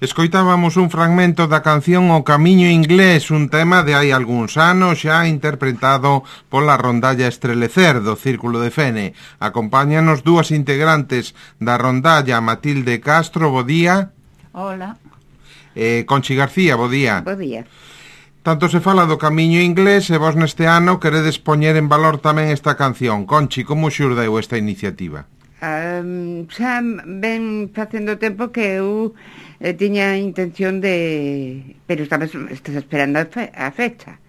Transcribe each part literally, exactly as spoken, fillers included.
Escoitábamos un fragmento da canción O Camiño Inglés, un tema de hai algúns anos xa interpretado pola rondalla Estrelecer do Círculo de Fene. Acompáñanos dúas integrantes da rondalla, Matilde Castro, bo día. Hola. E Conchi García, bo día. Bo día. Tanto se fala do Camiño Inglés e vos neste ano queredes poñer en valor tamén esta canción. Conchi, como xurdeu esta iniciativa? Um, xa ven facendo tempo que eu eh, tiña a intención de... Pero estaba, estás esperando a, fe, a fecha.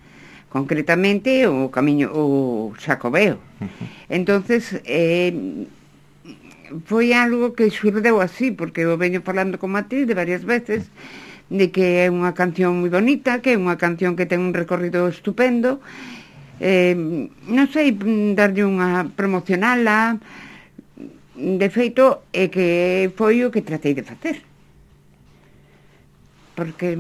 Concretamente o camiño, o Xacobeo. Uh-huh. Entonces, eh, foi algo que xurdeu así, porque eu veño falando con Matilde varias veces, de que é unha canción moi bonita, que é unha canción que ten un recorrido estupendo. Eh, non sei, darlle unha promocionala. De feito, é que foi o que tratei de facer. Porque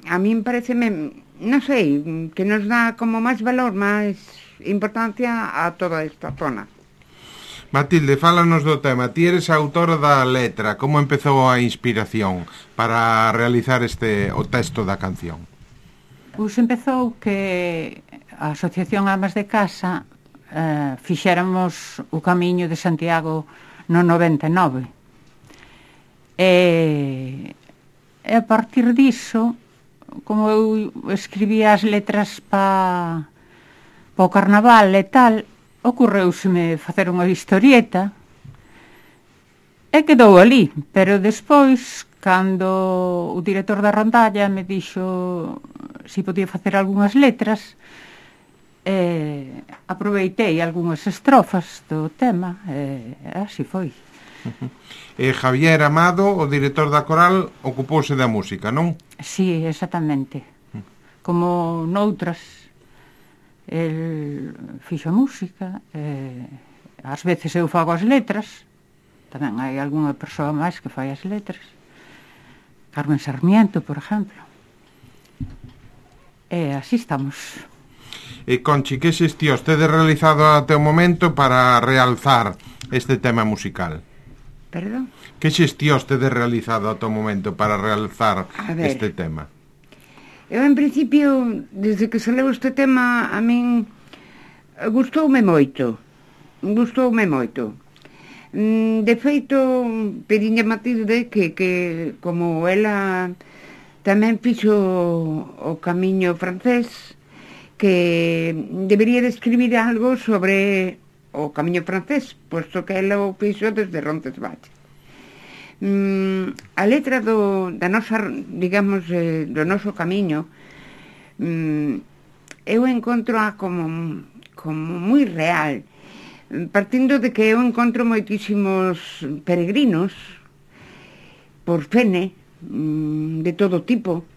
a min parece, non sei, que nos dá como máis valor, máis importancia a toda esta zona. Matilde, fálanos do tema. Ti eres a autora da letra. Como empezou a inspiración para realizar este o texto da canción? Pois empezou que a Asociación Amas de Casa eh, fixéramos o Camiño de Santiago no noventa e nove. E, e a partir diso, como eu escribía as letras pa, pa o carnaval e tal, ocorreuseme facer unha historieta e quedou ali. Pero despois, cando o director da rondalla me dixo se podía facer algunhas letras, eh, aproveitei algunhas estrofas do tema e eh, así foi. Uh-huh. E Javier Amado, o director da coral, ocupouse da música, non? Sí, exactamente. Uh-huh. Como noutras, el fixo a música, eh, ás veces eu fago as letras, tamén hai algunha persoa máis que fai as letras, Carmen Sarmiento, por exemplo. E así estamos. E Conchi, que xestións tedes realizado até o momento para realzar este tema musical? Perdón? Que xestións tedes realizado até o momento para realzar este tema? Eu, en principio, desde que saleu este tema, a min gustoume moito. Gustoume moito. De feito, pediña a Matilde que, que como ela tamén fixo o camiño francés, que debería de escribir algo sobre o camiño francés, posto que ela o fixo desde Roncesvalles. Mm, a letra do, da nosa, digamos, eh, do noso camiño, mm, eu encontro a como, como moi real, partindo de que eu encontro moitísimos peregrinos por Fene, mm, de todo tipo.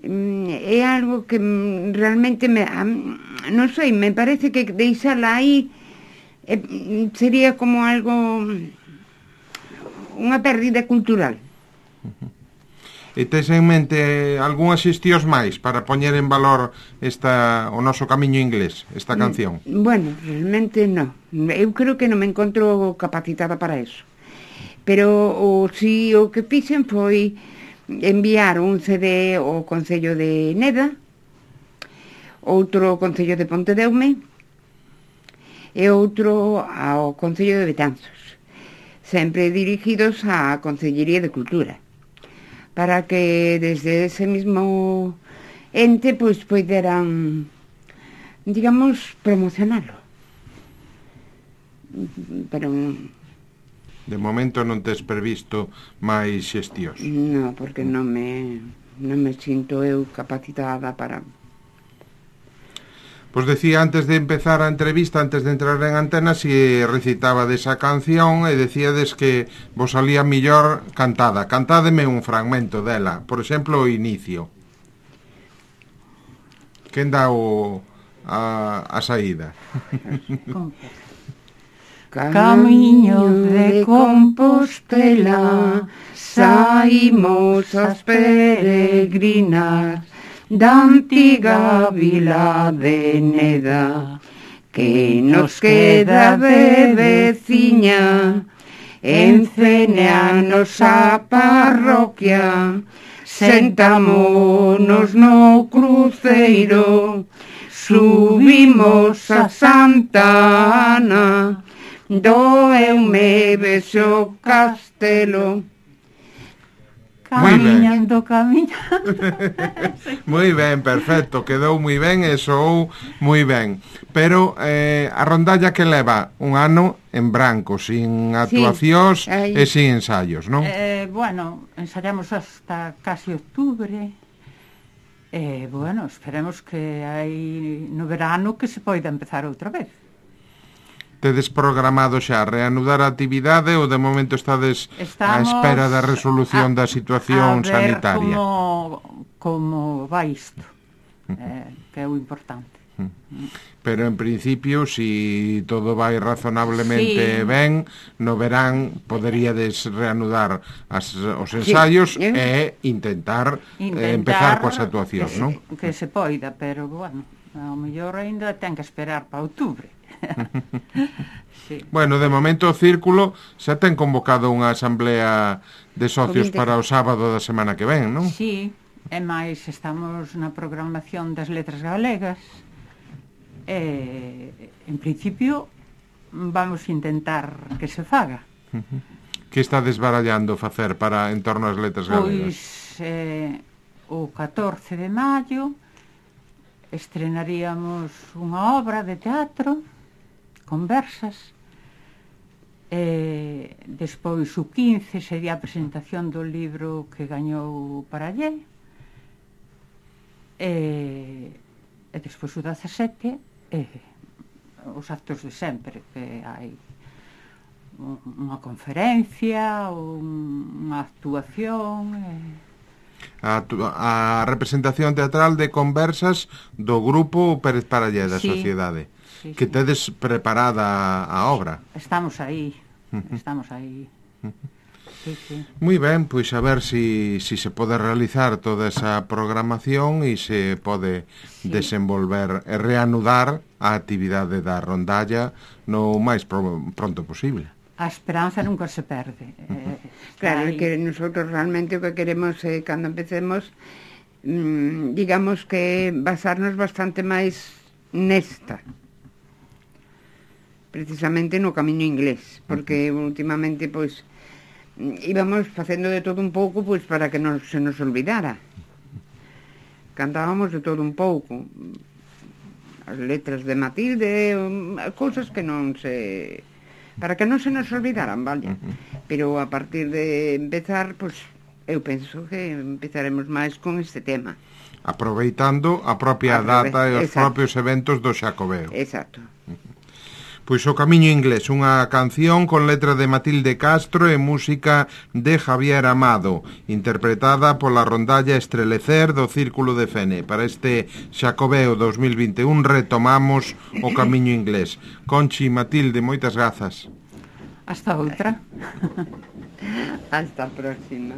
É algo que realmente me, non sei, me parece que deixala aí eh, sería como algo, unha pérdida cultural. Uh-huh. E tes en mente algunhas xestións máis para poñer en valor esta, o noso camiño inglés, esta canción? Bueno, realmente non. Eu creo que non me encontro capacitada para eso. Pero o, si o que fixen foi enviar un C D ao Concello de Neda, outro ao Concello de Pontedeume e outro ao Concello de Betanzos, sempre dirigidos á Concellería de Cultura, para que desde ese mismo ente pois poideran, digamos, promocionalo. Pero de momento non tes previsto máis xestións? Non, porque non me, non me sinto eu capacitada para... Pois decía antes de empezar a entrevista, antes de entrar en antena, si recitaba desa canción e decíades que vos salía millor cantada. Cantádeme un fragmento dela, por exemplo, o inicio. Quen dá o, a, a saída? Camiño de Compostela, saímos as peregrinas da antiga vila de Neda, que nos queda de veciña en Fene a nosa parroquia, sentámonos no cruceiro, subimos a Santa Ana, doeume vexo castelo. Camiñando, camiñando. Moi ben, perfecto, quedou moi ben e soou moi ben. Pero eh, a rondalla que leva un ano en branco, sin actuacións sí, e sin ensaios, non? Eh, bueno, ensayamos hasta casi octubre. E, eh, bueno, esperemos que hai no verano que se poida empezar outra vez. Tedes programado xa reanudar a actividade ou de momento estades á espera da resolución a, da situación a ver sanitaria? como, como vai isto, eh, que é o importante. Pero en principio, si todo vai razonablemente sí. ben, no verán poderíades reanudar as, os ensaios sí. e intentar, intentar eh, empezar coas actuacións, que se, non? que se poida, pero, bueno, ao mellor ainda ten que esperar para outubro. Sí. Bueno, de momento o Círculo xa ten convocado unha asamblea de socios para o sábado da semana que ven, non? Sí, e máis estamos na programación das letras galegas e, en principio, vamos intentar que se faga. Que está desbarallando facer para en torno ás letras galegas? Pois eh, o catorce de maio estrenaríamos unha obra de teatro, Conversas, e despois o quince sería a presentación do libro que gañou Parallé, e, e despois o dezasete e os actos de sempre, que hai unha conferencia, un, unha actuación e... A, a representación teatral de Conversas do grupo Pérez Parallé da sí, Sociedade, sí, que sí. tedes preparada a obra. Estamos aí, estamos aí. Sí, sí. Moi ben, pois a ver si, si se pode realizar toda esa programación e se pode sí. desenvolver e reanudar a actividade da rondalla no máis pro, pronto posible. A esperanza nunca se perde. Eh, claro, aí. que nosotros realmente o que queremos é, eh, cando empecemos, mmm, digamos que basarnos bastante máis nesta, precisamente no camiño inglés, porque uh-huh. últimamente, pois, íbamos facendo de todo un pouco, pois, para que non se nos olvidara. Cantábamos de todo un pouco. As letras de Matilde, um, cousas que non se... para que non se nos olvidaran, vale? Uh-huh. Pero a partir de empezar, pois, eu penso que empezaremos máis con este tema. Aproveitando a propia Aprove data e os exacto. propios eventos do Xacobeo. Exacto. Uh-huh. Pois o Camiño Inglés, unha canción con letra de Matilde Castro e música de Javier Amado, interpretada pola rondalla Estrelecer do Círculo de Fene. Para este Xacobeo dos mil vinte e un retomamos o Camiño Inglés. Conchi, Matilde, moitas grazas. Hasta outra. Hasta a próxima.